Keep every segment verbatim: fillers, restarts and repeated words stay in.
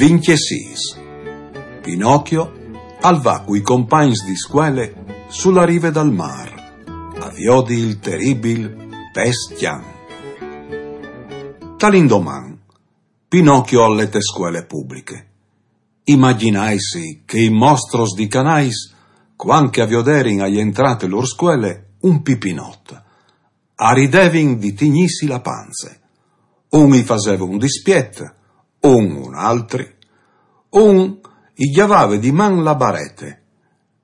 Vincjesîs. Pinocchio al va cui compagns di scuele su la rive dal mâr a viodi il teribil pes cjan. Tal indoman, Pinocchio al è te scuele publiche. Imagjinaitsi che i mostros di Canais, cuant che a vioderin jentrâ te lôr scuele un pipinot, a ridevin di tignîsi la panze. Un i faseve un dispiet, un un altri, un i gjavave di man la barete,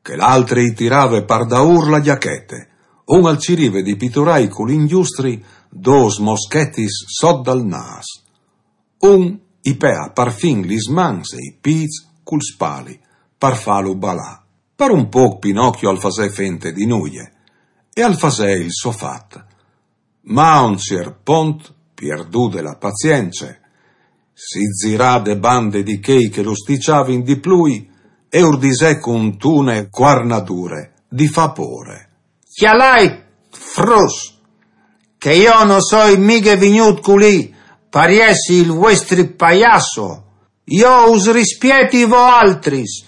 chel altri i tirave par daûr la gjachete, un al cirive di piturâi cul ingjustri dôs moschetis sot dal nâs. Un i peà parfin lis mans e i pîts cul spali par fâlu balâ. Par un pôc Pinocchio al fasè fente di nuie e al fasè il so fat. Ma a un ciert pont, pierdude la pazience, si zirà de bande di chei che lu stiçavin di plui e ur disè cuntune cuarnadure di fâ pôre: «Cjalait, fruts, che jo no soi mighe vignût culì par jessi il vuestri paiasso. Jo us rispieti voaltris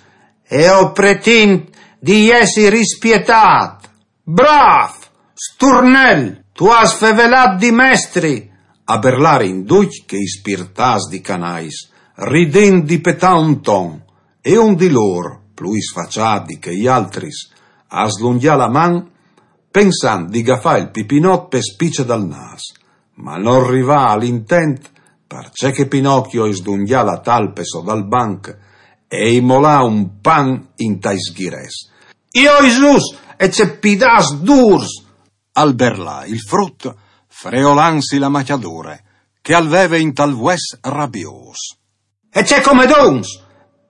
e o pretint di jessi rispietât.» «Brâf, sturnel, tu âs fevelât di mestri!» a berlarin ducj chei spirtâts di Canais, ridint di petâ un ton, e un di lôr, plui sfaçât di chei altris, a slungjà la man, pensant di gafâ il pipinot pe spice dal nâs, ma nol rivà al intent, parcè che Pinocchio i slungjà la talpe sot dal banc e i molà un pan intai sghirets. «Oi Zus, e ce pidâts dûrs!» al berlà il frut, freolansi la macjadure, che al veve intal vues rabiôs. «E ce comedons!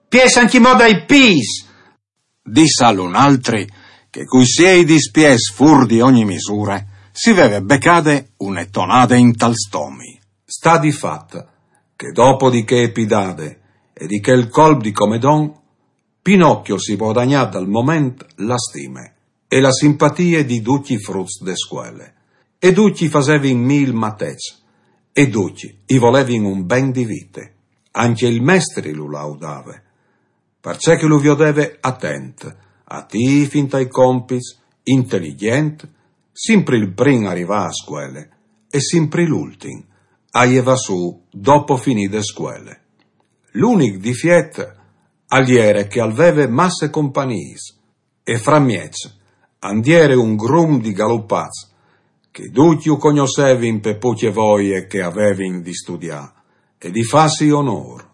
Piês ancjemò dai pîts!» dissal un altri, che cui siei dispiets fûr di ogni misure, si veve becade une tonade intal stomi. Sta di fat che dopo di chê pidade e di chel colp di comedon, Pinocchio si vodagnà dal moment la stime e la simpatie di ducj i fruts de scuele. E ducj i fasevin mil mateçs, e ducj i volevin un ben di vite. Ancje il mestri lu laudave, parcè che lu viodeve atent, atîf intai compits, inteligjent, simpri il prin a rivâ a scuele e simpri l'ultin a jevâ sù dopo finide scuele. L'unic difiet al jere che al veve masse companiis, e framieç and jere un grum di galupats, che ducj ju cognossevin pe pucje voie che a vevin di studiâ e di fâsi onôr.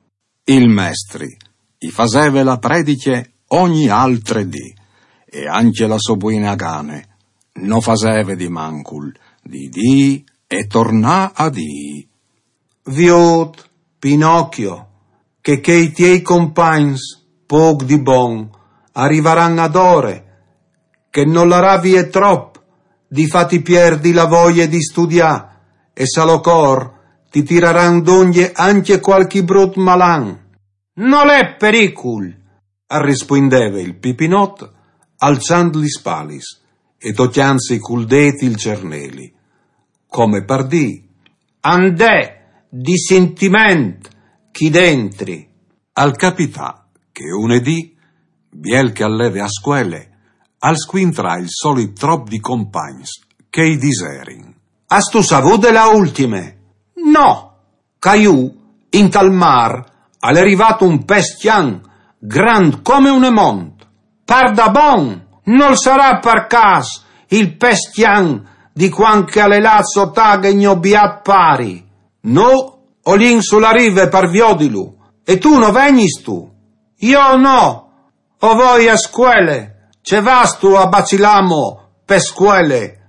Il mestri i faseve la prediche ogni altre dì, e ancje la sô buine gane no faseve di mancul di dî e tornâ a dî: «Viôt, Pinocchio, che chei tiei compagns pôc di bon a rivaran adore, che nol larà vie trop di fâti pierdi la voie di studiâ, e se al ocor ti tiraran dongje ancje cualchi brut malan.» «Nol è pericul», al rispuindeve il pipinot, alçant lis spalis e tocjantsi cul dêt il cerneli, come par dî: «And è di sintiment chi dentri.» Al capità che une dì, biel che al leve a scuele, al scuintrà il solit trop di compagns che i diserin: «Âstu savût de la ultime?» «No.» «Ca jù, intal mâr, al è rivât un pes cjan, grant come une mont.» «Pardabon? Nol sarà par câs il pes cjan di cuant che al è lât sot aghe gno biât pari?» «Nô o lin su la rive par viodilu, e tu no vegnistu?» «Jo no, o voi a scuele.» «Ce vâstu a bacilâ mo pe scuele?»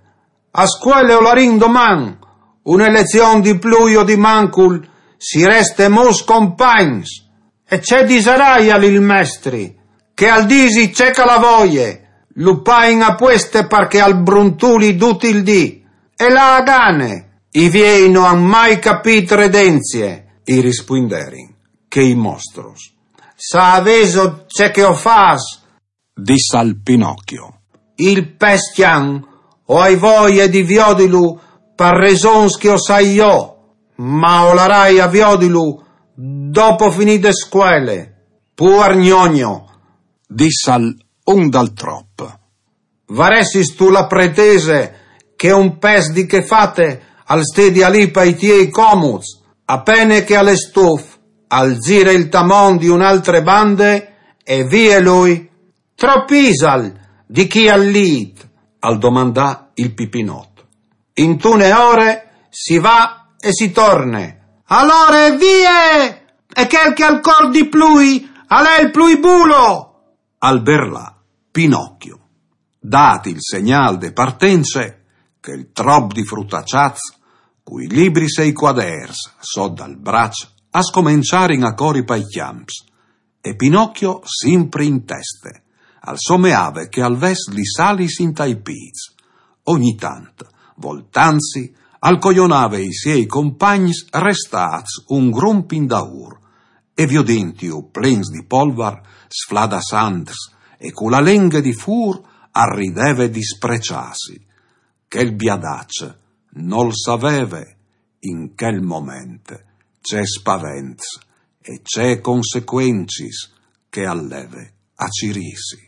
«A scuele o larìn doman, une lezion di plui o di mancul, si reste mûts compagns.» «E ce disaraio al il mestri?» «Che al disi ce che al à voie, lu pain a pueste par che al bruntuli dut il dì.» «E la gane?» «I viei no àn mai capît redenzie», i rispuinderin chei mostros. «Savêso ce che o fâs?» dissal Pinocchio. «Il pes cjan o ai voie di viodilu par resons che o sai jo, ma o larai a viodilu dopo finide scuele, puar gnogno, dissal un dal trop. Varessistu la pretese che un pes di che fate al stedi a lì pai tiei comuts, apene che al è stuf, al zire il tamon di un'altre bande e vie lui. Tropisal di chi al lit? Al domandà il Pipinot. Intune ore si va e si torne. Alore vie! E chel che al cor di plui, al è il plui bulo! Al berlà Pinocchio. Dat il segnal de partence, che il trop di frutaciats, cui libris e i quaders sot dal brac, a scomenciarin a cori pai cjamps, e Pinocchio simpri in teste, al someave che al ves lis alis intai pîts. Ogni tant, voltantsi, al cojonave i siei compagns restâts un grump indaûr, e viodintju plens di polvar, sfladassants e cu la lenghe di fûr, al rideve dispreçâsi. Chel biadaç nol saveve in chel moment ce spavents e ce consecuencis che al leve a cirîsi.